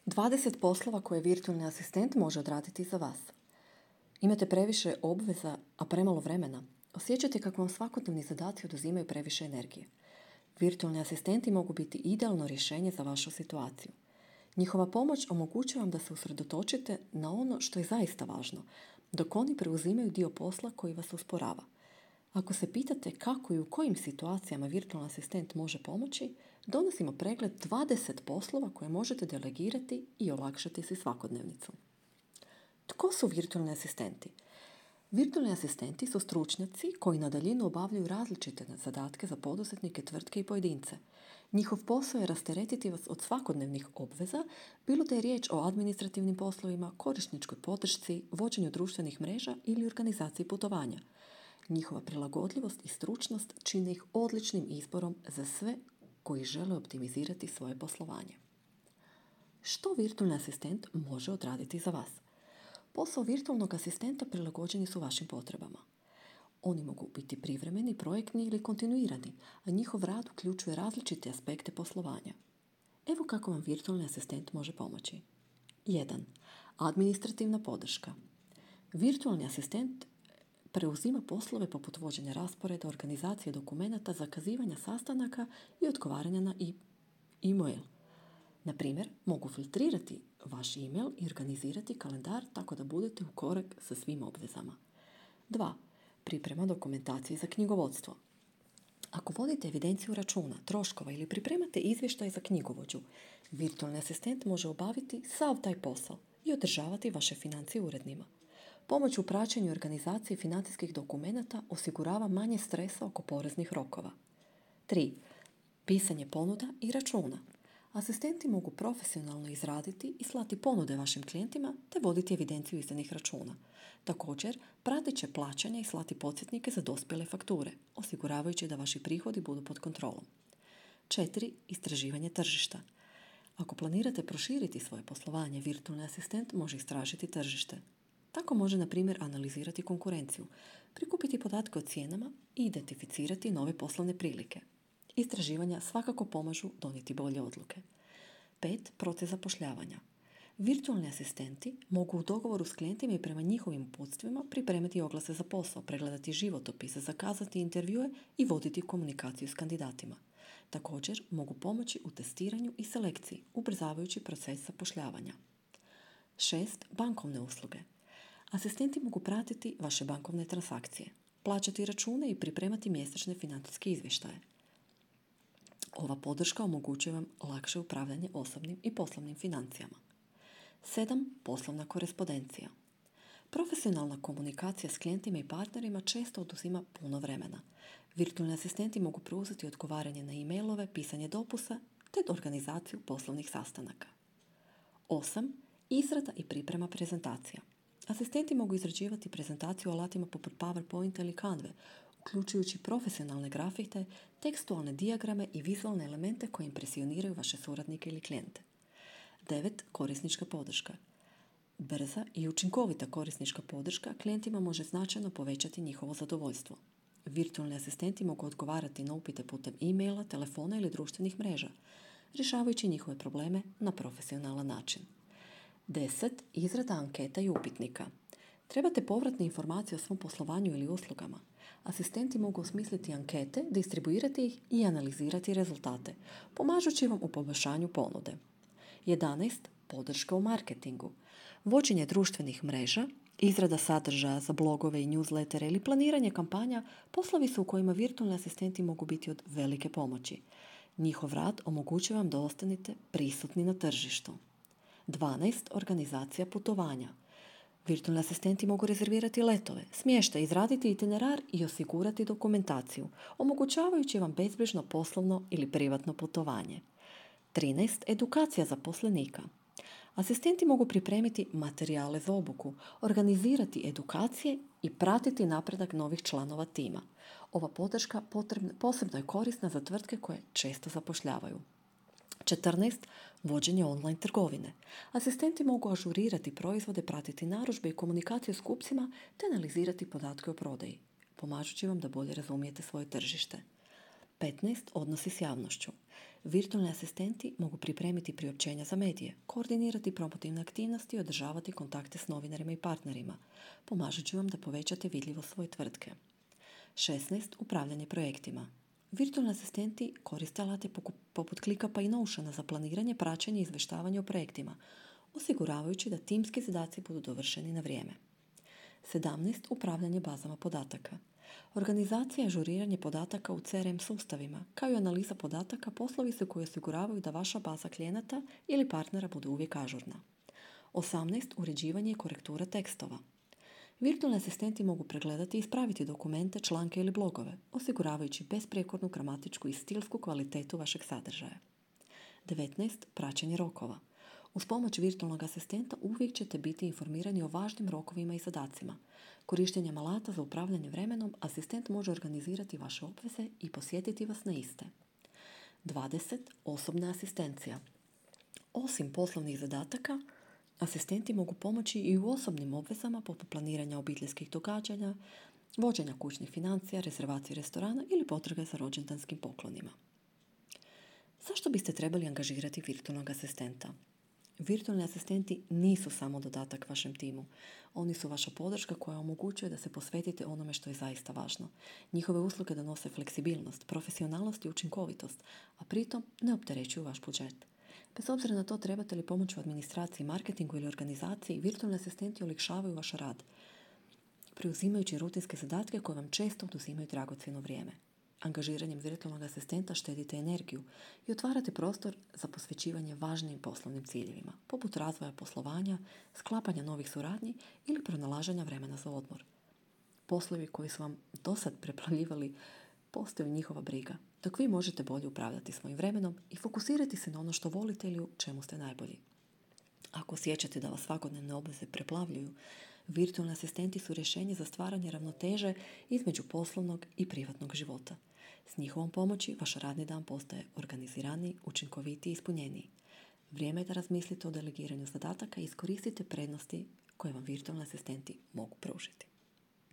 20 poslova koje virtualni asistent može odraditi za vas. Imate previše obveza, a premalo vremena. Osjećate kako vam svakodnevni zadaci oduzimaju previše energije. Virtualni asistenti mogu biti idealno rješenje za vašu situaciju. Njihova pomoć omogućuje vam da se usredotočite na ono što je zaista važno, dok oni preuzimaju dio posla koji vas usporava. Ako se pitate kako i u kojim situacijama virtualni asistent može pomoći, donosimo pregled 20 poslova koje možete delegirati i olakšati si svakodnevnicu. Tko su virtualni asistenti? Virtualni asistenti su stručnjaci koji na daljinu obavljaju različite zadatke za poduzetnike, tvrtke i pojedince. Njihov posao je rasteretiti vas od svakodnevnih obveza, bilo da je riječ o administrativnim poslovima, korisničkoj podršci, vođenju društvenih mreža ili organizaciji putovanja. Njihova prilagodljivost i stručnost čine ih odličnim izborom za sve koji žele optimizirati svoje poslovanje. Što virtualni asistent može odraditi za vas? Posao virtualnog asistenta prilagođeni su vašim potrebama. Oni mogu biti privremeni, projektni ili kontinuirani, a njihov rad uključuje različite aspekte poslovanja. Evo kako vam virtualni asistent može pomoći. 1. Administrativna podrška. Virtualni asistent preuzima poslove poput vođenja rasporeda, organizacije dokumenata, zakazivanja sastanaka i odgovaranja na e-mail. Na primjer, mogu filtrirati vaš e-mail i organizirati kalendar tako da budete u korak sa svim obvezama. 2. Priprema dokumentacije za knjigovodstvo. Ako vodite evidenciju računa, troškova ili pripremate izvještaj za knjigovođu, virtualni asistent može obaviti sav taj posao i održavati vaše financije urednima. Pomoć u praćenju i organizaciji financijskih dokumenata osigurava manje stresa oko poreznih rokova. 3. Pisanje ponuda i računa. Asistenti mogu profesionalno izraditi i slati ponude vašim klijentima te voditi evidenciju izdanih računa. Također, pratit će plaćanja i slati podsjetnike za dospjele fakture, osiguravajući da vaši prihodi budu pod kontrolom. 4. Istraživanje tržišta. Ako planirate proširiti svoje poslovanje, virtualni asistent može istražiti tržište. Tako može, na primjer, analizirati konkurenciju, prikupiti podatke o cijenama i identificirati nove poslovne prilike. Istraživanja svakako pomažu donijeti bolje odluke. 5. Proces zapošljavanja. Virtualni asistenti mogu u dogovoru s klijentima i prema njihovim uputstvima pripremiti oglase za posao, pregledati životopise, zakazati intervjue i voditi komunikaciju s kandidatima. Također mogu pomoći u testiranju i selekciji, ubrzavajući proces zapošljavanja. 6. Bankovne usluge. Asistenti mogu pratiti vaše bankovne transakcije, plaćati račune i pripremati mjesečne financijske izvještaje. Ova podrška omogućuje vam lakše upravljanje osobnim i poslovnim financijama. 7. Poslovna korespondencija. Profesionalna komunikacija s klijentima i partnerima često oduzima puno vremena. Virtualni asistenti mogu preuzeti odgovaranje na e-mailove, pisanje dopusa te organizaciju poslovnih sastanaka. 8. Izrada i priprema prezentacija. Asistenti mogu izrađivati prezentaciju alatima poput PowerPointa ili Canve, uključujući profesionalne grafite, tekstualne dijagrame i vizualne elemente koji impresioniraju vaše suradnike ili klijente. 9. Korisnička podrška. Brza i učinkovita korisnička podrška klijentima može značajno povećati njihovo zadovoljstvo. Virtualni asistenti mogu odgovarati na upite putem e-maila, telefona ili društvenih mreža, rješavajući njihove probleme na profesionalan način. 10. Izrada anketa i upitnika. Trebate povratne informacije o svom poslovanju ili uslugama. Asistenti mogu osmisliti ankete, distribuirati ih i analizirati rezultate, pomažući vam u poboljšanju ponude. 11. Podrška u marketingu. Vođenje društvenih mreža, izrada sadržaja za blogove i newslettere ili planiranje kampanja poslovi su u kojima virtualni asistenti mogu biti od velike pomoći. Njihov rad omogućuje vam da ostanete prisutni na tržištu. 12. Organizacija putovanja. Virtualni asistenti mogu rezervirati letove, smještaj, izraditi itinerar i osigurati dokumentaciju, omogućavajući vam bezbrižno poslovno ili privatno putovanje. 13. Edukacija zaposlenika. Asistenti mogu pripremiti materijale za obuku, organizirati edukacije i pratiti napredak novih članova tima. Ova podrška posebno je korisna za tvrtke koje često zapošljavaju. 14. Vođenje online trgovine. Asistenti mogu ažurirati proizvode, pratiti narudžbe i komunikaciju s kupcima te analizirati podatke o prodaji, pomažući vam da bolje razumijete svoje tržište. 15. Odnosi s javnošću. Virtualni asistenti mogu pripremiti priopćenja za medije, koordinirati promotivne aktivnosti i održavati kontakte s novinarima i partnerima, pomažući vam da povećate vidljivost svoje tvrtke. 16. Upravljanje projektima. Virtualni asistenti koriste alate poput ClickUpa i Notiona za planiranje, praćenje i izvještavanje o projektima, osiguravajući da timski zadaci budu dovršeni na vrijeme. 17. Upravljanje bazama podataka. Organizacija i ažuriranje podataka u CRM sustavima, kao i analiza podataka, poslovi su koji osiguravaju da vaša baza klijenata ili partnera bude uvijek ažurna. 18. Uređivanje i korektura tekstova. Virtualni asistenti mogu pregledati i ispraviti dokumente, članke ili blogove, osiguravajući besprijekornu gramatičku i stilsku kvalitetu vašeg sadržaja. 19. Praćenje rokova. Uz pomoć virtualnog asistenta uvijek ćete biti informirani o važnim rokovima i zadacima. Korištenjem alata za upravljanje vremenom, asistent može organizirati vaše obveze i posjetiti vas na iste. 20. Osobna asistencija. Osim poslovnih zadataka, asistenti mogu pomoći i u osobnim obvezama poput planiranja obiteljskih događanja, vođenja kućnih financija, rezervacije restorana ili potrage za rođendanskim poklonima. Zašto biste trebali angažirati virtualnog asistenta? Virtualni asistenti nisu samo dodatak vašem timu. Oni su vaša podrška koja omogućuje da se posvetite onome što je zaista važno. Njihove usluge donose fleksibilnost, profesionalnost i učinkovitost, a pritom ne opterećuju vaš budžet. Bez obzira na to trebate li pomoć u administraciji, marketingu ili organizaciji, virtualni asistenti olakšavaju vaš rad, preuzimajući rutinske zadatke koje vam često oduzimaju dragocjeno vrijeme. Angažiranjem virtualnog asistenta štedite energiju i otvarate prostor za posvećivanje važnijim poslovnim ciljevima, poput razvoja poslovanja, sklapanja novih suradnji ili pronalaženja vremena za odmor. Poslovi koji su vam dosad preplavljivali postaju njihova briga, dok vi možete bolje upravljati svojim vremenom i fokusirati se na ono što volite ili u čemu ste najbolji. Ako osjećate da vas svakodnevne obveze preplavljuju, virtualni asistenti su rješenje za stvaranje ravnoteže između poslovnog i privatnog života. S njihovom pomoći vaš radni dan postaje organiziraniji, učinkovitiji i ispunjeniji. Vrijeme je da razmislite o delegiranju zadataka i iskoristite prednosti koje vam virtualni asistenti mogu pružiti.